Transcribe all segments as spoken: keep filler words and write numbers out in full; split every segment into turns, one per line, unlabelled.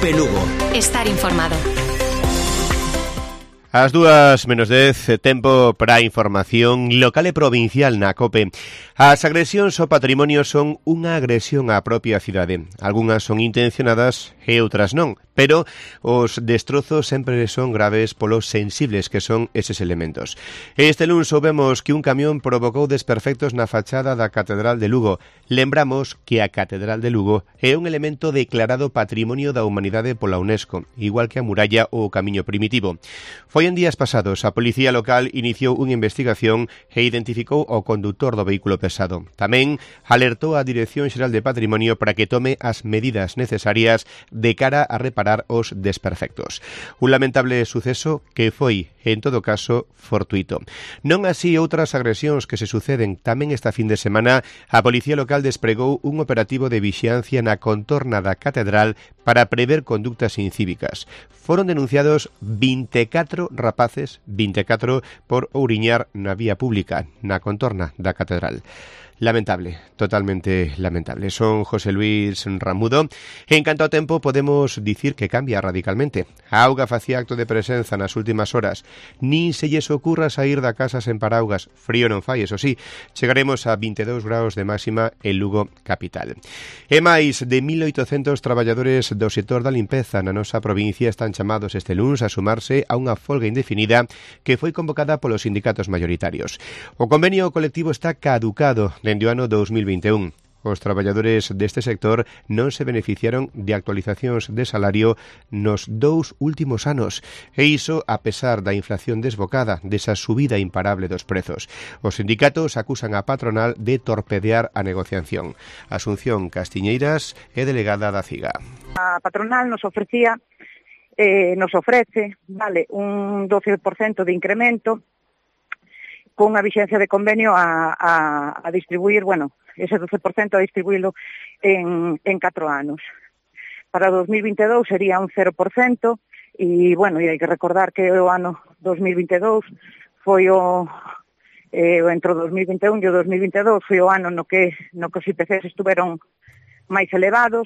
COPE Lugo.
Estar informado.
As dúas menos dez, tempo para a información local e provincial na COPE. As agresións ao patrimonio son unha agresión á propia cidade. Algúnas son intencionadas e outras non, pero os destrozos sempre son graves polos sensibles que son eses elementos. Este luns soubemos que un camión provocou desperfectos na fachada da Catedral de Lugo. Lembramos que a Catedral de Lugo é un elemento declarado Patrimonio da Humanidade pola UNESCO, igual que a muralla ou o camiño primitivo. Foi en días pasados, a Policía Local iniciou unha investigación e identificou o condutor do vehículo pesado. Tamén alertou a Dirección Xeral de Patrimonio para que tome as medidas necesarias de cara a reparar os desperfectos. Un lamentable suceso que foi, en todo caso, fortuito. Non así outras agresións que se suceden. Tamén esta fin de semana a Policía Local despregou un operativo de vixiancia na contorna da Catedral para prever conductas incívicas. Foron denunciados vinte e catro rapaces, vinte e catro, por ouriñar na vía pública, na contorna da Catedral. Lamentable, totalmente lamentable. Son José Luis Ramudo. En canto ao tempo, podemos dicir que cambia radicalmente. A auga facía acto de presenza nas últimas horas. Nin se lles ocurra sair da casa sen paraugas. Frío non fai, eso sí. Chegaremos a vinte e dous graus de máxima en Lugo capital. E máis de mil oitocentos traballadores do sector da limpeza na nosa provincia están chamados este luns a sumarse a unha folga indefinida que foi convocada polos sindicatos mayoritarios. O convenio colectivo está caducado dende o ano dos mil vinte e un. Os traballadores deste sector non se beneficiaron de actualizacións de salario nos dous últimos anos, e iso a pesar da inflación desbocada, desa subida imparable dos prezos. Os sindicatos acusan a patronal de torpedear a negociación. Asunción Castiñeiras é delegada da CIGA.
A patronal nos ofrecía, eh, nos ofrece, vale, un doce por cento de incremento con unha vixencia de convenio a, a, a distribuir, bueno, ese doce por cento a distribuílo en, en catro anos. Para dos mil vinte e dous sería un cero por cento e, bueno, e hai que recordar que o ano dos mil vinte e dous foi o, eh, entre o dos mil vinte e un e o dos mil vinte e dous foi o ano no que, no que os I P Cs estuveron máis elevados.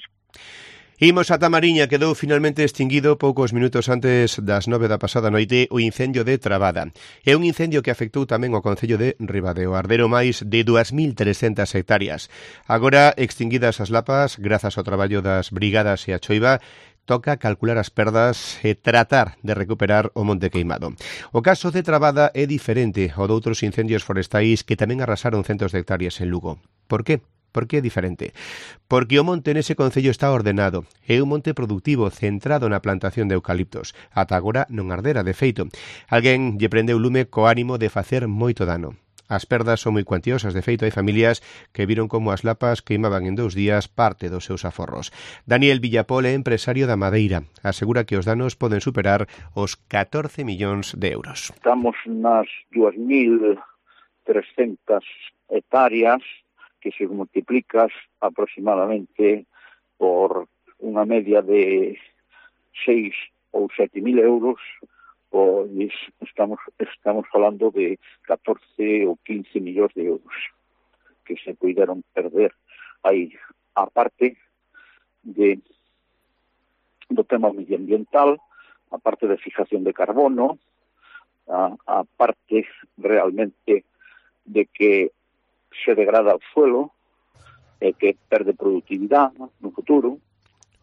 Imos ata Mariña, quedou finalmente extinguido poucos minutos antes das nove da pasada noite o incendio de Trabada. É un incendio que afectou tamén o concello de Ribadeo, ardero máis de dúas mil trescentas hectáreas. Agora, extinguidas as lapas, grazas ao traballo das brigadas e a choiva, toca calcular as perdas e tratar de recuperar o monte queimado. O caso de Trabada é diferente ao de outros incendios forestais que tamén arrasaron centos de hectáreas en Lugo. Por que? Por que é diferente? Porque o monte nese concello está ordenado. É un monte productivo centrado na plantación de eucaliptos. Ata agora non ardera, de feito. Alguén lle prendeu lume co ánimo de facer moito dano. As perdas son moi cuantiosas, de feito hai familias que viron como as lapas queimaban en dous días parte dos seus aforros. Daniel Villapol é empresario da madeira. Asegura que os danos poden superar os catorce millóns de euros.
Estamos nas dúas mil trescentas hectáreas que se multiplicas aproximadamente por unha media de seis ou sete mil euros, pois estamos estamos falando de catorce ou quince millóns de euros que se puideron perder aí, a parte de do tema medioambiental, a parte de fijación de carbono, a, a parte realmente de que se degrada o suelo e que perde productividade no futuro.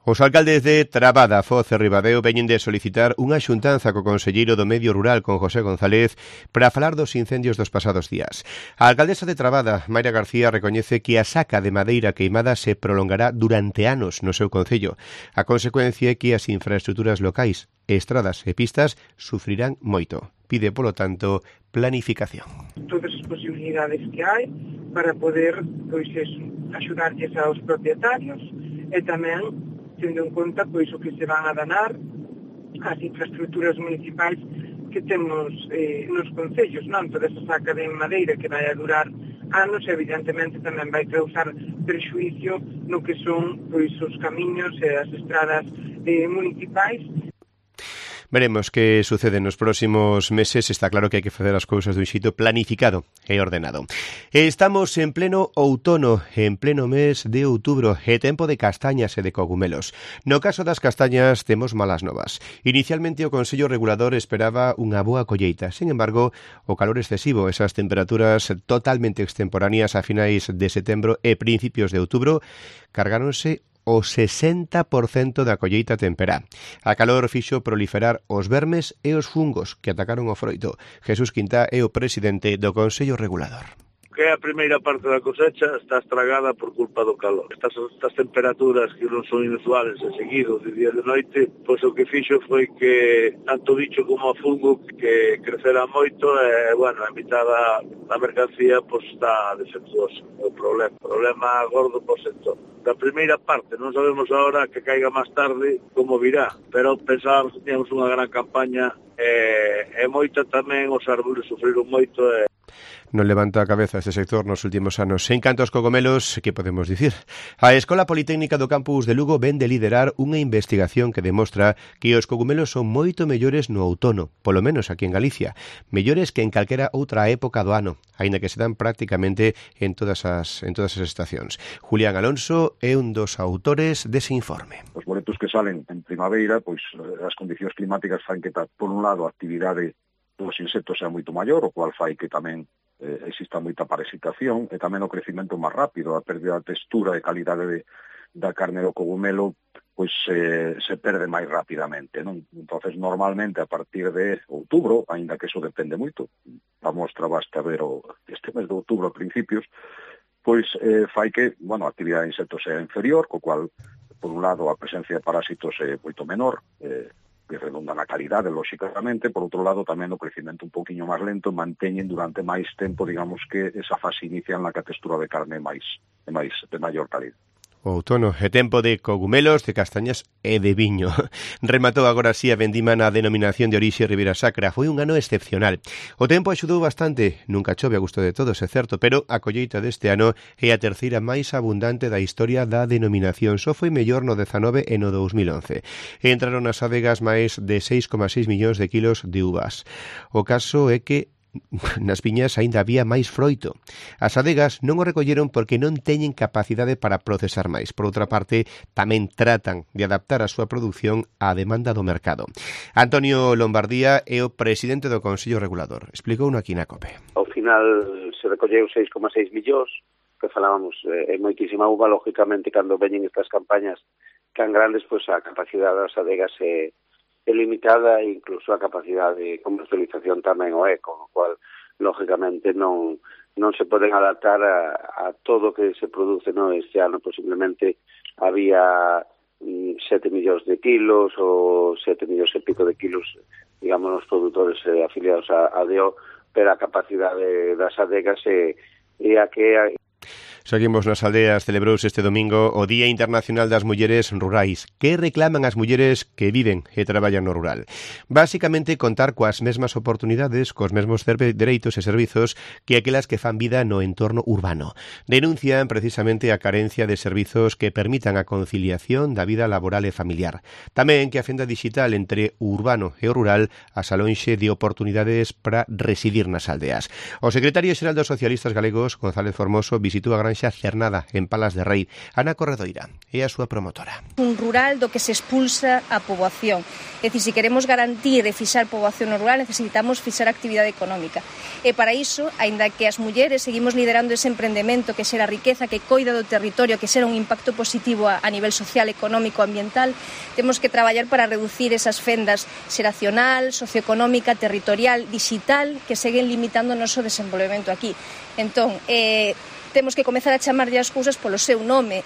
Os alcaldes de Trabada, Foz e Ribadeo veñen de solicitar unha xuntanza co conselleiro do Medio Rural, con José González, para falar dos incendios dos pasados días. A alcaldesa de Trabada, Mayra García, recoñece que a saca de madeira queimada se prolongará durante anos no seu concello. A consecuencia é que as infraestructuras locais, estradas e pistas sufrirán moito. Pide, polo tanto, planificación.
Todas as posibilidades que hai para poder, pois, eso, axudarlles aos propietarios e tamén tendo en conta pois o que se van a danar as infraestructuras municipais que temos eh, nos concellos, non? Toda esa saca de madeira que vai a durar anos, evidentemente tamén vai causar prexuicio no que son pois os camiños e as estradas eh, municipais.
Veremos que sucede nos próximos meses. Está claro que hai que facer as cousas dun xeito planificado e ordenado. Estamos en pleno outono, en pleno mes de outubro, e tempo de castañas e de cogumelos. No caso das castañas temos malas novas. Inicialmente o Consello Regulador esperaba unha boa colleita. Sin embargo, o calor excesivo, esas temperaturas totalmente extemporáneas a finais de setembro e principios de outubro, cargáronse o sesenta por cento da colleita temperá. A calor fixo proliferar os vermes e os fungos que atacaron o froito. Jesús Quintá é o presidente do Consello Regulador.
Que a primeira parte da cosecha está estragada por culpa do calor. Estas, estas temperaturas que non son inusuales e seguidos de día e de noite, pois o que fixo foi que tanto bicho como fungo que crecera moito e, bueno, a mitad da, da mercancía pois está defectuosa. O problema, o problema gordo por sector. Da primeira parte non sabemos agora que caiga máis tarde como virá, pero pensábamos que teníamos unha gran campaña e, e moita tamén os árboles sufriron moito e
non levanta a cabeza este sector nos últimos anos. En canto aos cogomelos, que podemos dicir? A Escola Politécnica do Campus de Lugo ven de liderar unha investigación que demostra que os cogumelos son moito mellores no outono, polo menos aquí en Galicia, mellores que en calquera outra época do ano, aínda que se dan prácticamente en todas as en todas as estacións. Julián Alonso é un dos autores dese informe.
Os boletos que salen en primavera, pois as condicións climáticas fan que, por un lado, a actividade dos insectos sea moito maior, o cual fai que tamén eh, exista moita parasitación e tamén o crecimento máis rápido, a pérdida de textura e calidade de, da carne do cogumelo pois eh, se perde máis rapidamente, non? Entonces, normalmente, a partir de outubro, aínda que eso depende moito, a mostra basta ver o, este mes de outubro a principios, pois eh, fai que, bueno, a actividade de insectos sea inferior, co cual, por un lado, a presencia de parásitos é moito menor, eh, que redonda na calidade, lóxicamente, por outro lado, tamén o crecimento un poquinho máis lento, manteñen durante máis tempo, digamos que esa fase inicial na que a textura de carne é máis, é máis, de maior calidad.
O outono é tempo de cogumelos, de castañas e de viño. Rematou agora así a vendima na denominación de orixe Ribeira Sacra. Foi un ano excepcional. O tempo axudou bastante, nunca chove a gusto de todos, é certo, pero a colleita deste ano é a terceira máis abundante da historia da denominación. Só foi mellor no dezanove e no dous mil once. Entraron nas adegas máis de seis coma seis millóns de kilos de uvas. O caso é que nas viñas aínda había máis froito. As adegas non o recolleron porque non teñen capacidade para procesar máis. Por outra parte, tamén tratan de adaptar a súa produción á demanda do mercado. Antonio Lombardía é o presidente do Consello Regulador. Explicou no aquí na COPE.
Ao final se recolleu seis coma seis millóns, que falábamos, é eh, moitísima uva, lógicamente, cando veñen estas campañas tan grandes, pois a capacidade das adegas é é limitada e incluso a capacidade de comercialización tamén o é, con o cual, lógicamente, non non se poden adaptar a, a todo o que se produce, no? Este ano, posiblemente, había mm, sete millóns de kilos ou sete millóns e pico de kilos, digamos, os produtores eh, afiliados a, a D O, pero a capacidade das adegas é, é a que...
Seguimos nas aldeas. Celebrouse este domingo o Día Internacional das Mulleres Rurais. Que reclaman as mulleres que viven e traballan no rural? Básicamente, contar coas mesmas oportunidades, cos mesmos dereitos e servizos que aquelas que fan vida no entorno urbano. Denuncian precisamente a carencia de servizos que permitan a conciliación da vida laboral e familiar. Tamén que a fenda digital entre o urbano e o rural as alonxe de oportunidades para residir nas aldeas. O secretario xeral dos socialistas galegos, González Formoso, visitou a Granxa Cernada, en Palas de Rei. Ana Corredoira é a súa promotora.
Un rural do que se expulsa a poboación. É dicir, se queremos garantir e fixar poboación no rural, necesitamos fixar actividade económica. E para iso, aínda que as mulleres seguimos liderando ese emprendemento que xera riqueza, que coida do territorio, que xera un impacto positivo a, a nivel social, económico, ambiental, temos que traballar para reducir esas fendas xeracional, socioeconómica, territorial, digital, que seguen limitando o noso desenvolvemento aquí. Entón, eh, temos que comezar a chamarlle as cousas polo seu nome.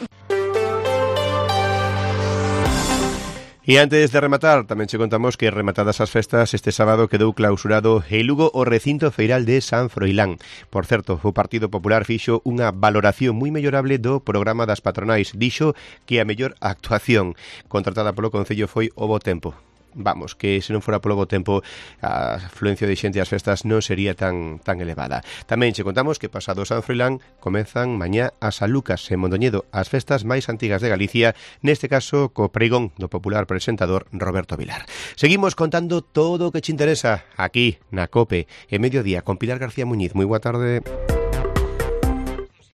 E antes de rematar, tamén che contamos que rematadas as festas, este sábado quedou clausurado en Lugo o recinto feiral de San Froilán. Por certo, o Partido Popular fixo unha valoración moi mellorable do programa das patronais. Dixo que a mellor actuación contratada polo Concello foi o bo tempo. vamos, que se non fora polo bo tempo a afluencia de xente ás festas non sería tan tan elevada. Tamén che contamos que pasado San Froilán comezan mañá a San Lucas en Mondoñedo, as festas máis antigas de Galicia, neste caso co pregón do popular presentador Roberto Vilar. Seguimos contando todo o que che interesa aquí na COPE, en Mediodía, con Pilar García Muñiz. Moi boa tarde.